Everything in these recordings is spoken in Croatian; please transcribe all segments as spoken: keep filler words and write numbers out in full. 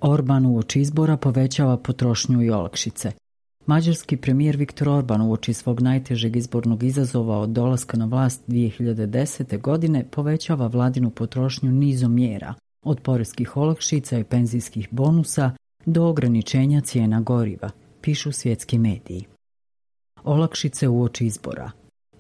Orban uoči izbora povećava potrošnju i olakšice. Mađarski premijer Viktor Orban uoči svog najtežeg izbornog izazova od dolaska na vlast dvije hiljade desete. godine povećava vladinu potrošnju nizom mjera, od poreskih olakšica i penzijskih bonusa do ograničenja cijena goriva, pišu svjetski mediji. Olakšice uoči izbora.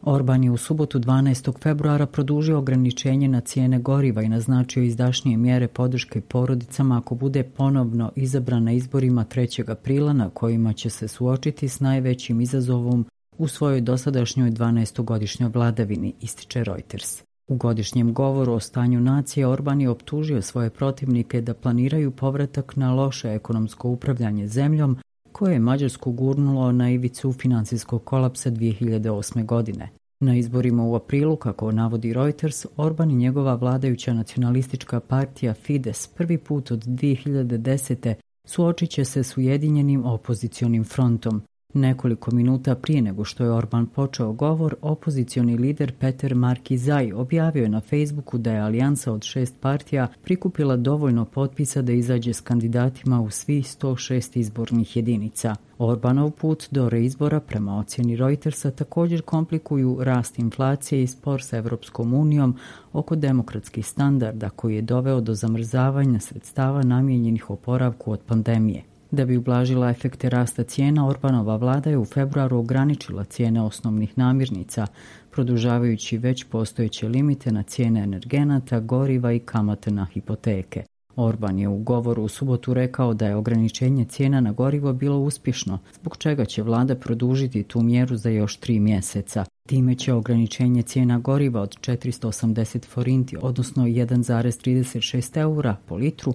Orban je u subotu dvanaestog februara produžio ograničenje na cijene goriva i naznačio izdašnije mjere podrške porodicama ako bude ponovno izabran na izborima trećeg aprila na kojima će se suočiti s najvećim izazovom u svojoj dosadašnjoj dvanaestogodišnjoj vladavini, ističe Reuters. U godišnjem govoru o stanju nacije Orban je optužio svoje protivnike da planiraju povratak na loše ekonomsko upravljanje zemljom koje je Mađarsku gurnulo na ivicu financijskog kolapsa dvije hiljade osme. godine. Na izborima u aprilu, kako navodi Reuters, Orban i njegova vladajuća nacionalistička partija Fides prvi put od dvije hiljade desete. suočit će se s ujedinjenim opozicionim frontom. Nekoliko minuta prije nego što je Orban počeo govor, opozicioni lider Peter Markizaj objavio je na Facebooku da je alijansa od šest partija prikupila dovoljno potpisa da izađe s kandidatima u svih sto šest izbornih jedinica. Orbanov put do reizbora, prema ocjeni Reutersa, također komplikuju rast inflacije i spor sa Evropskom unijom oko demokratskih standarda koji je doveo do zamrzavanja sredstava namijenjenih oporavku od pandemije. Da bi ublažila efekte rasta cijena, Orbanova vlada je u februaru ograničila cijene osnovnih namirnica, produžavajući već postojeće limite na cijene energenata, goriva i kamate na hipoteke. Orban je u govoru u subotu rekao da je ograničenje cijena na gorivo bilo uspješno, zbog čega će vlada produžiti tu mjeru za još tri mjeseca. Time će ograničenje cijena goriva od četiristo osamdeset forinti, odnosno jedan zarez trideset šest eura po litru,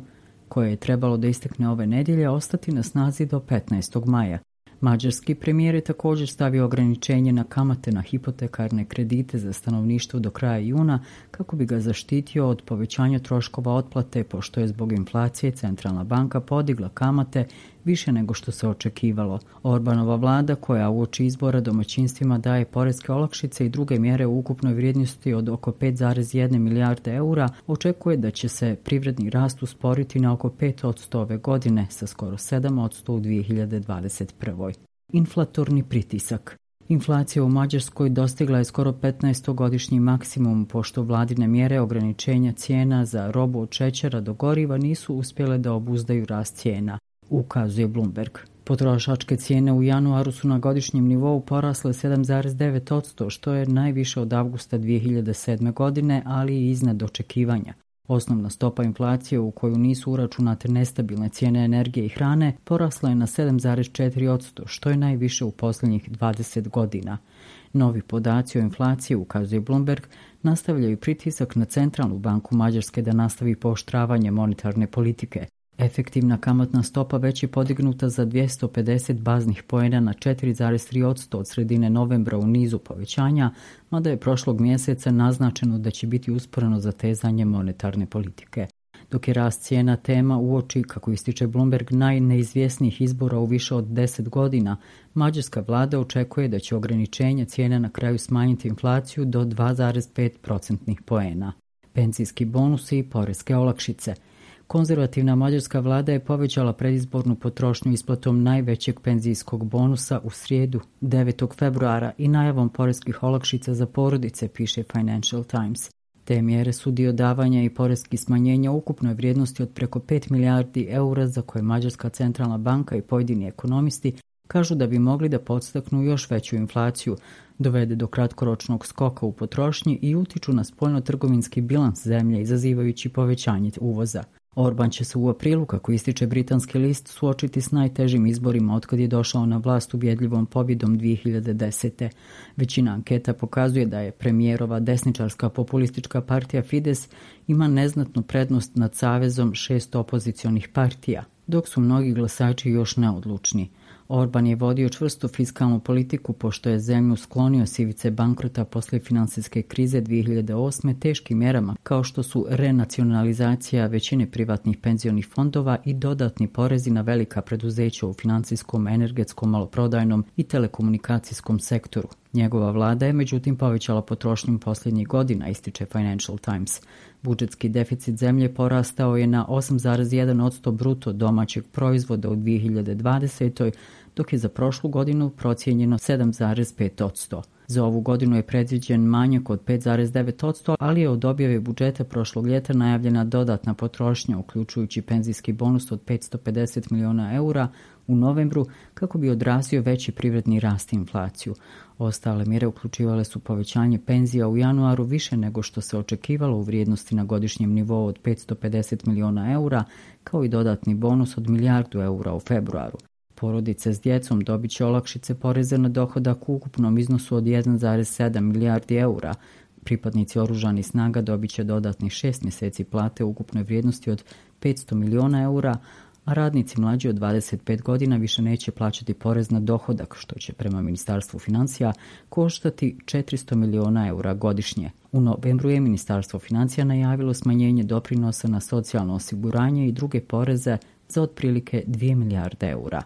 koje je trebalo da istekne ove nedjelje, ostati na snazi do petnaestog maja. Mađarski premijer je također stavio ograničenje na kamate na hipotekarne kredite za stanovništvo do kraja juna kako bi ga zaštitio od povećanja troškova otplate, pošto je zbog inflacije centralna banka podigla kamate više nego što se očekivalo. Orbanova vlada, koja uoči izbora domaćinstvima daje poreske olakšice i druge mjere u ukupnoj vrijednosti od oko pet zarez jedna milijarde eura, očekuje da će se privredni rast usporiti na oko pet posto ove godine, sa skoro sedam posto u dvije hiljade dvadeset prve. Inflatorni pritisak. Inflacija u Mađarskoj dostigla je skoro petnaestogodišnji maksimum, pošto vladine mjere ograničenja cijena za robu od šećera do goriva nisu uspjele da obuzdaju rast cijena, ukazuje Bloomberg. Potrošačke cijene u januaru su na godišnjem nivou porasle sedam zarez devet posto, što je najviše od avgusta dvije hiljade sedme. godine, ali i iznad očekivanja. Osnovna stopa inflacije, u koju nisu uračunate nestabilne cijene energije i hrane, porasla je na sedam zarez četiri posto, što je najviše u posljednjih dvadeset godina. Novi podaci o inflaciji, ukazuje Bloomberg, nastavljaju pritisak na centralnu banku Mađarske da nastavi pooštravanje monetarne politike. Efektivna kamatna stopa već je podignuta za dvjesto pedeset baznih poena na četiri zarez tri posto od sredine novembra u nizu povećanja, mada je prošlog mjeseca naznačeno da će biti usporeno zatezanje monetarne politike. Dok je rast cijena tema uoči, kako ističe Bloomberg, najneizvjesnijih izbora u više od deset godina, mađarska vlada očekuje da će ograničenje cijena na kraju smanjiti inflaciju do dva zarez pet procentnih poena. Penzijski bonusi i poreske olakšice. Konzervativna mađarska vlada je povećala predizbornu potrošnju isplatom najvećeg penzijskog bonusa u srijedu devetog februara i najavom poreskih olakšica za porodice, piše Financial Times. Te mjere su dio davanja i poreskih smanjenja u ukupnoj vrijednosti od preko pet milijardi eura za koje Mađarska centralna banka i pojedini ekonomisti kažu da bi mogli da podstaknu još veću inflaciju, dovede do kratkoročnog skoka u potrošnji i utiču na spoljno-trgovinski bilans zemlje, izazivajući povećanje uvoza. Orban će se u aprilu, kako ističe britanski list, suočiti s najtežim izborima otkad je došao na vlast ubjedljivom pobjedom dvije hiljade desete. Većina anketa pokazuje da je premijerova desničarska populistička partija Fides ima neznatnu prednost nad savezom šest opozicionih partija, dok su mnogi glasači još neodlučni. Orban je vodio čvrstu fiskalnu politiku pošto je zemlju sklonio s ivice bankrota posle finansijske krize dvije hiljade osme teškim mjerama kao što su renacionalizacija većine privatnih penzionih fondova i dodatni porezi na velika preduzeća u financijskom, energetskom, maloprodajnom i telekomunikacijskom sektoru. Njegova vlada je međutim povećala potrošnju posljednjih godina, ističe Financial Times. Budžetski deficit zemlje porastao je na osam zarez jedan posto bruto domaćeg proizvoda u dvije hiljade dvadesetoj. dok je za prošlu godinu procijenjeno sedam zarez pet posto. Za ovu godinu je predviđen manjak od pet zarez devet posto, ali je od objave budžeta prošlog ljeta najavljena dodatna potrošnja, uključujući penzijski bonus od petsto pedeset miliona eura u novembru, kako bi odrazio veći privredni rast i inflaciju. Ostale mjere uključivale su povećanje penzija u januaru više nego što se očekivalo u vrijednosti na godišnjem nivou od petsto pedeset miliona eura, kao i dodatni bonus od milijardu eura u februaru. Porodice s djecom dobit će olakšice poreza na dohodak u ukupnom iznosu od jedan zarez sedam milijardi eura. Pripadnici oružanih snaga dobit će dodatnih šest mjeseci plate u ukupnoj vrijednosti od petsto miliona eura, a radnici mlađi od dvadeset pet godina više neće plaćati porez na dohodak, što će prema Ministarstvu financija koštati četiristo miliona eura godišnje. U novembru je Ministarstvo financija najavilo smanjenje doprinosa na socijalno osiguranje i druge poreze za otprilike dvije milijarde eura.